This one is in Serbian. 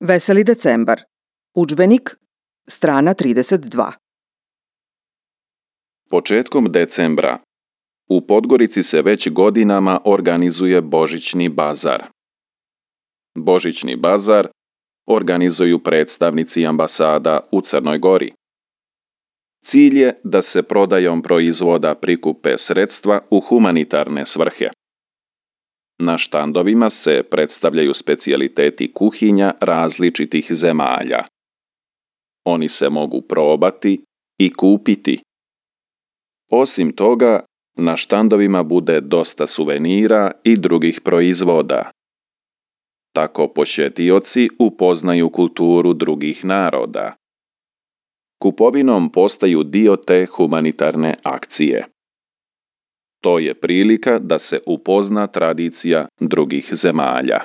Veseli decembar. Udžbenik, strana 32. Početkom decembra u Podgorici se već godinama organizuje Božićni bazar. Božićni bazar organizuju predstavnici ambasada u Crnoj Gori. Cilj je da se prodajom proizvoda prikupe sredstva u humanitarne svrhe. Na štandovima se predstavljaju specijaliteti kuhinja različitih zemalja. Oni se mogu probati i kupiti. Osim toga, na štandovima bude dosta suvenira i drugih proizvoda. Tako posjetioci upoznaju kulturu drugih naroda. Kupovinom postaju dio te humanitarne akcije. To je prilika da se upozna tradicija drugih zemalja.